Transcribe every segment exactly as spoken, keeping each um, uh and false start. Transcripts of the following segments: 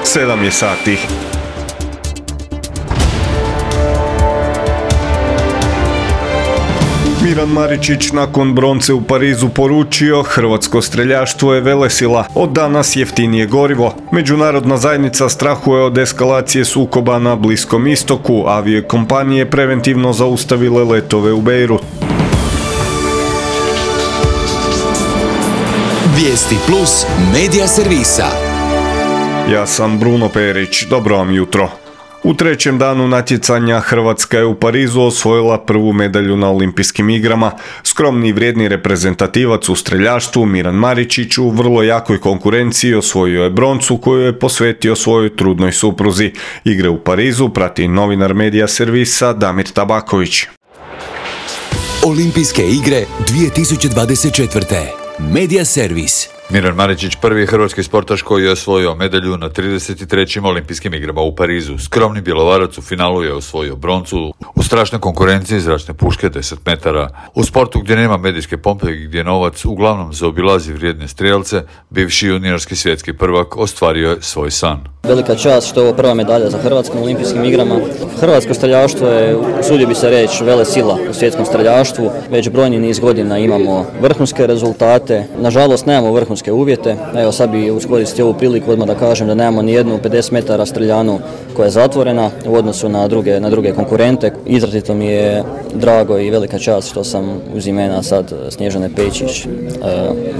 sedam je sati. Miran Maričić nakon bronce u Parizu poručio: hrvatsko streljaštvo je velesila, od danas jeftinije gorivo. Međunarodna zajednica strahuje od eskalacije sukoba na Bliskom istoku, aviokompanije preventivno zaustavile letove u Beirut. Vijesti plus medija servisa. Ja sam Bruno Perić, dobro vam jutro. U trećem danu natjecanja Hrvatska je u Parizu osvojila prvu medalju na olimpijskim igrama. Skromni i vrijedni reprezentativac u streljaštvu Miran Maričić u vrlo jakoj konkurenciji osvojio je broncu koju je posvetio svojoj trudnoj supruzi. Igre u Parizu prati novinar medija servisa Damir Tabaković. Olimpijske igre dvije tisuće dvadeset četvrte. Medija servis. Miran Maričić prvi je hrvatski sportaš koji je osvojio medalju na trideset trećim olimpijskim igrama u Parizu. Skromni bjelovarac u finalu je osvojio broncu u strašnoj konkurenciji zračne puške deset metara. U sportu gdje nema medijske pompe i gdje novac uglavnom zaobilazi vrijedne strijelce, bivši juniorski svjetski prvak ostvario je svoj san. Velika čast što je ovo prva medalja za Hrvatsku na olimpijskim igrama. Hrvatsko streljaštvo je, usudio bi se reći, velesila u svjetskom streljaštvu. Već brojni niz godina imamo vrhunske rezultate. Nažalost, nemamo vrhunske uvjete. Evo, sad bi iskoristio ovu priliku odmah da kažem da nemamo ni jednu pedeset metara streljanu koja je zatvorena u odnosu na druge, na druge konkurente. Izrazito mi je drago i velika čast što sam uz imena sad Snježane Pečić,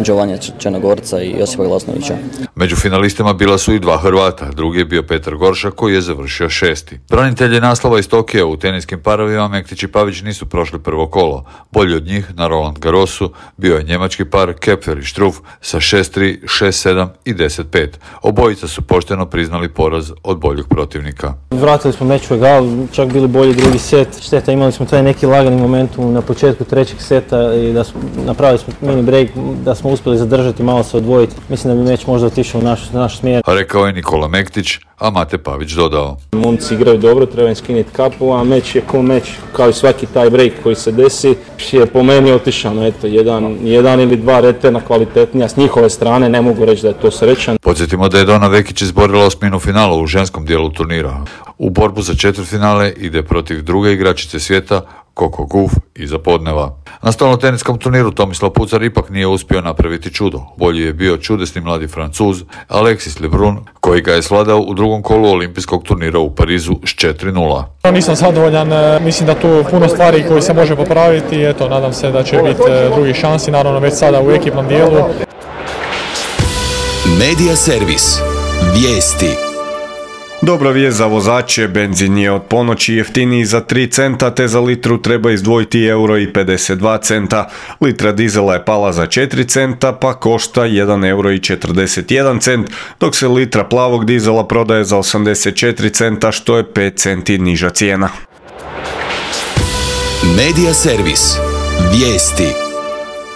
Đovanja Črnogorca i Josipa Glasnovića. Među finalistima bila su i dva Hrvata. Drugi je bio Petar Goršak koji je završio šesti. Branitelji naslova iz Tokija u teniskim parovima Mektić i Pavić nisu prošli prvo kolo. Bolji od njih na Roland Garrosu bio je njemački par Kepfer i Struff sa šest tri, šest sedam i deset pet. Obojica su pošteno priznali poraz od boljeg protivnika. Vratili smo meč u egal, čak bili bolji drugi set. Šteta, imali smo taj neki lagani momentum na početku trećeg seta i da smo, napravili smo mini break, da smo uspjeli zadržati, malo se odvojiti. Mislim da bi meč možda otišao u naš, naš smjer. Rekao je Nikola Mektić, a Mate Pavić dodao: momci igraju dobro, treba im skinuti kapu, a meč je ko meč, kao i svaki taj break koji se desi, je po meni otišao. No, eto, jedan, jedan ili dva returna kvalitetnija s njihove strane, ne mogu reći da je to srećan. Podsjetimo da je Dona Vekić izborila osminu finala u ženskom dijelu turnira. U borbu za četvrtfinale ide protiv druge igračice svijeta, Coco Gauff iza podneva. Na stolnoteniskom turniru Tomislav Pucar ipak nije uspio napraviti čudo. Bolji je bio čudesni mladi Francuz Alexis Lebrun, koji ga je svladao u drugom kolu olimpijskog turnira u Parizu s četiri nula. Nisam zadovoljan, mislim da tu puno stvari koji se može popraviti. Eto, nadam se da će biti drugi šansi, naravno već sada u ekipnom dijelu. Medija servis. Vijesti. Dobra vijest za vozače, benzin je od ponoći jeftiniji za tri centa, te za litru treba izdvojiti euro i pedeset dva centa. Litra dizela je pala za četiri centa, pa košta jedan euro i četrdeset jedan cent, dok se litra plavog dizela prodaje za osamdeset četiri centa, što je pet centi niža cijena. Medija servis. Vijesti.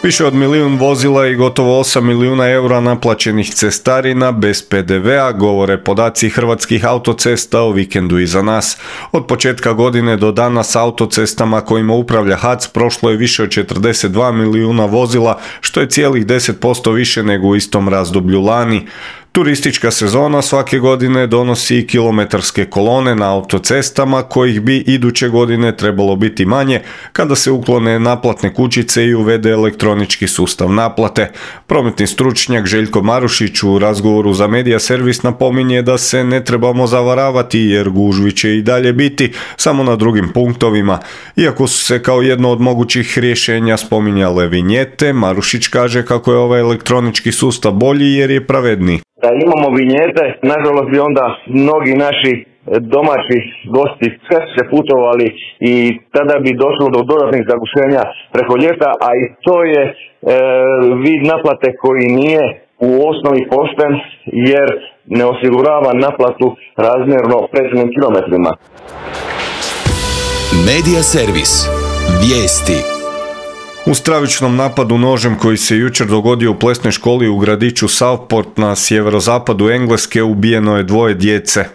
Više od milijun vozila i gotovo osam milijuna eura naplaćenih cestarina bez pe de vea, govore podaci Hrvatskih autocesta o vikendu iza nas. Od početka godine do danas autocestama kojima upravlja ha ce prošlo je više od četrdeset dva milijuna vozila, što je cijelih deset posto više nego u istom razdoblju lani. Turistička sezona svake godine donosi i kilometarske kolone na autocestama, kojih bi iduće godine trebalo biti manje kada se uklone naplatne kućice i uvede elektronički sustav naplate. Prometni stručnjak Željko Marušić u razgovoru za medija servis napominje da se ne trebamo zavaravati jer gužvi će i dalje biti, samo na drugim punktovima. Iako su se kao jedno od mogućih rješenja spominjale vinjete, Marušić kaže kako je ovaj elektronički sustav bolji jer je pravedniji. Da imamo vinjete, nažalost bi onda mnogi naši domaći gosti sve se putovali i tada bi došlo do dodatnih zagušenja preko ljeta, a i to je e, vid naplate koji nije u osnovi pošten jer ne osigurava naplatu razmjerno pređenim kilometrima. Medija servis. Vijesti. U stravičnom napadu nožem koji se jučer dogodio u plesnoj školi u gradiću Southport na sjeverozapadu Engleske ubijeno je dvoje djece.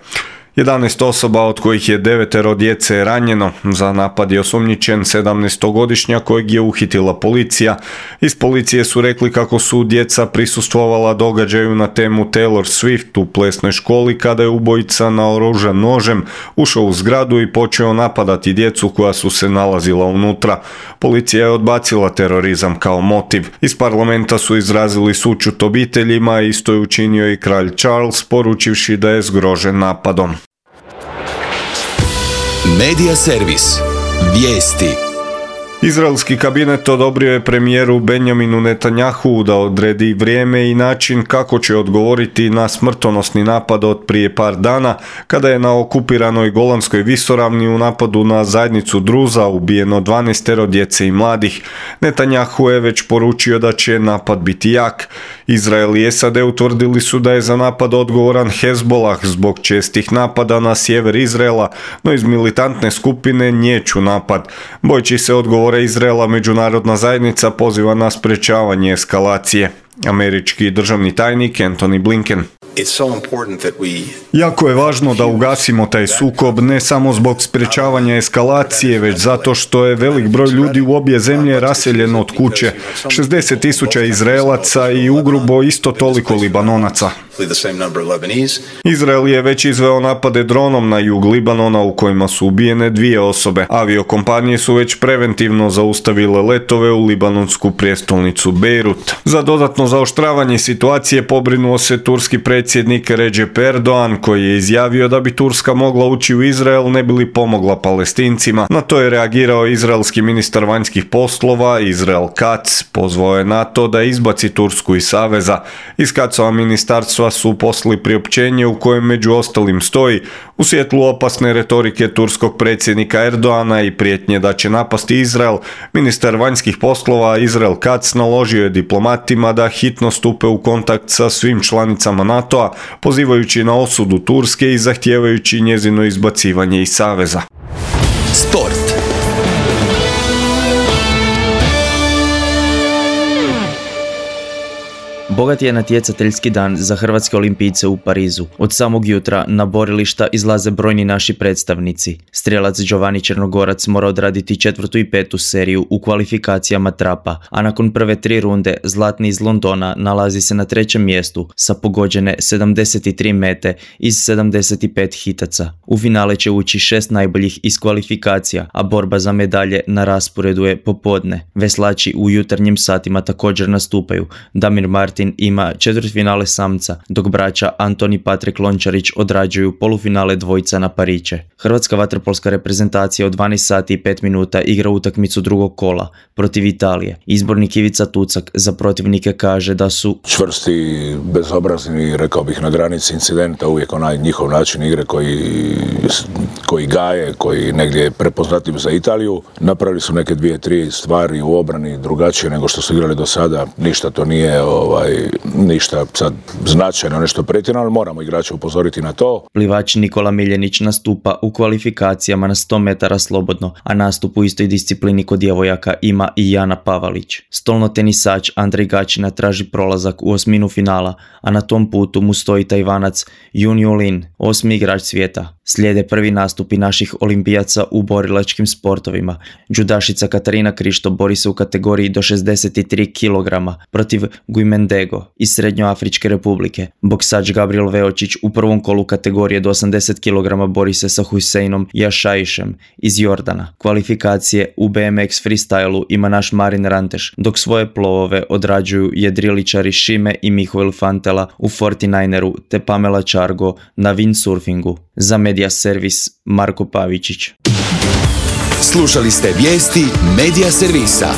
jedanaest osoba, od kojih je devetero djece ranjeno. Za napad je osumnjičen sedamnaestogodišnjak kojeg je uhitila policija. Iz policije su rekli kako su djeca prisustvovala događaju na temu Taylor Swift u plesnoj školi kada je ubojica naoružan nožem ušao u zgradu i počeo napadati djecu koja su se nalazila unutra. Policija je odbacila terorizam kao motiv. Iz parlamenta su izrazili sućut obiteljima, isto je učinio i kralj Charles, poručivši da je zgrožen napadom. Medija servis. Vijesti. Izraelski kabinet odobrio je premijeru Benjaminu Netanjahu da odredi vrijeme i način kako će odgovoriti na smrtonosni napad od prije par dana, kada je na okupiranoj Golanskoj visoravni u napadu na zajednicu Druza ubijeno dvanaestero djece i mladih. Netanjahu je već poručio da će napad biti jak. Izrael i S A D utvrdili su da je za napad odgovoran Hezbollah zbog čestih napada na sjever Izraela, no iz militantne skupine nječu napad. Bojeći se odgovor Izraela, međunarodna zajednica poziva na sprečavanje eskalacije. Američki državni tajnik Antony Blinken. Jako je važno da ugasimo taj sukob, ne samo zbog sprečavanja eskalacije, već zato što je velik broj ljudi u obje zemlje raseljen od kuće. šezdeset tisuća Izraelaca i ugrubo isto toliko Libanonaca. Izrael je već izveo napade dronom na jug Libanona u kojima su ubijene dvije osobe. Aviokompanije su već preventivno zaustavile letove u libanonsku prijestolnicu Bejrut. Za dodatno zaoštravanje situacije pobrinuo se turski predsjednik Recep Erdogan, koji je izjavio da bi Turska mogla ući u Izrael ne bi li pomogla Palestincima. Na to je reagirao izraelski ministar vanjskih poslova Israel Katz. Pozvao je na to da izbaci Tursku iz saveza. Iz Katzova ministarstva su poslali priopćenje u kojem među ostalim stoji: u svjetlu opasne retorike turskog predsjednika Erdogana i prijetnje da će napasti Izrael, ministar vanjskih poslova Israel Katz naložio je diplomatima da hitno stupe u kontakt sa svim članicama NATO-a, pozivajući na osudu Turske i zahtijevajući njezino izbacivanje iz saveza. Sport. Bogat je natjecateljski dan za hrvatske olimpijce u Parizu. Od samog jutra na borilišta izlaze brojni naši predstavnici. Strijelac Giovanni Črnogorac mora odraditi četvrtu i petu seriju u kvalifikacijama trapa, a nakon prve tri runde zlatni iz Londona nalazi se na trećem mjestu sa pogođene sedamdeset tri mete iz sedamdeset pet hitaca. U finale će ući šest najboljih iz kvalifikacija, a borba za medalje na rasporedu je popodne. Veslači u jutarnjim satima također nastupaju. Damir Martin ima četvrtfinale samca, dok braća Antoni i Patrik Lončarić odrađuju polufinale dvojica na pariće. Hrvatska vaterpolska reprezentacija od dvanaest sati i pet minuta igra utakmicu drugog kola protiv Italije. Izbornik Ivica Tucak za protivnike kaže da su čvrsti, bezobrazni, rekao bih na granici incidenta, uvijek onaj njihov način igre koji, koji gaje, koji negdje je prepoznatljiv za Italiju. Napravili su neke dvije, tri stvari u obrani drugačije nego što su igrali do sada. Ništa to nije ovaj, ništa sad značajno, nešto pretjerano, ali moramo igrače upozoriti na to. Plivač Nikola Miljenić nastupa u kvalifikacijama na sto metara slobodno, a nastup u istoj disciplini kod djevojaka ima i Jana Pavalić. Stolno tenisač Andrej Gačina traži prolazak u osminu finala, a na tom putu mu stoji Tajvanac Junju Lin, osmi igrač svijeta. Slijede prvi nastupi naših olimpijaca u borilačkim sportovima. Džudašica Katarina Krišto bori se u kategoriji do šezdeset tri kilograma protiv Guimendego iz Srednjoafričke republike. Boksač Gabriel Veočić u prvom kolu kategorije do osamdeset kilograma bori se sa Huseinom Jašaišem iz Jordana. Kvalifikacije u B M X freestylu ima naš Marin Ranteš, dok svoje plovove odrađuju jedriličari Šime i Mihoel Fantela u forty-nineru te Pamela Čargo na windsurfingu. Za Medija servis Marko Pavičić. Slušali ste vijesti Medija servisa.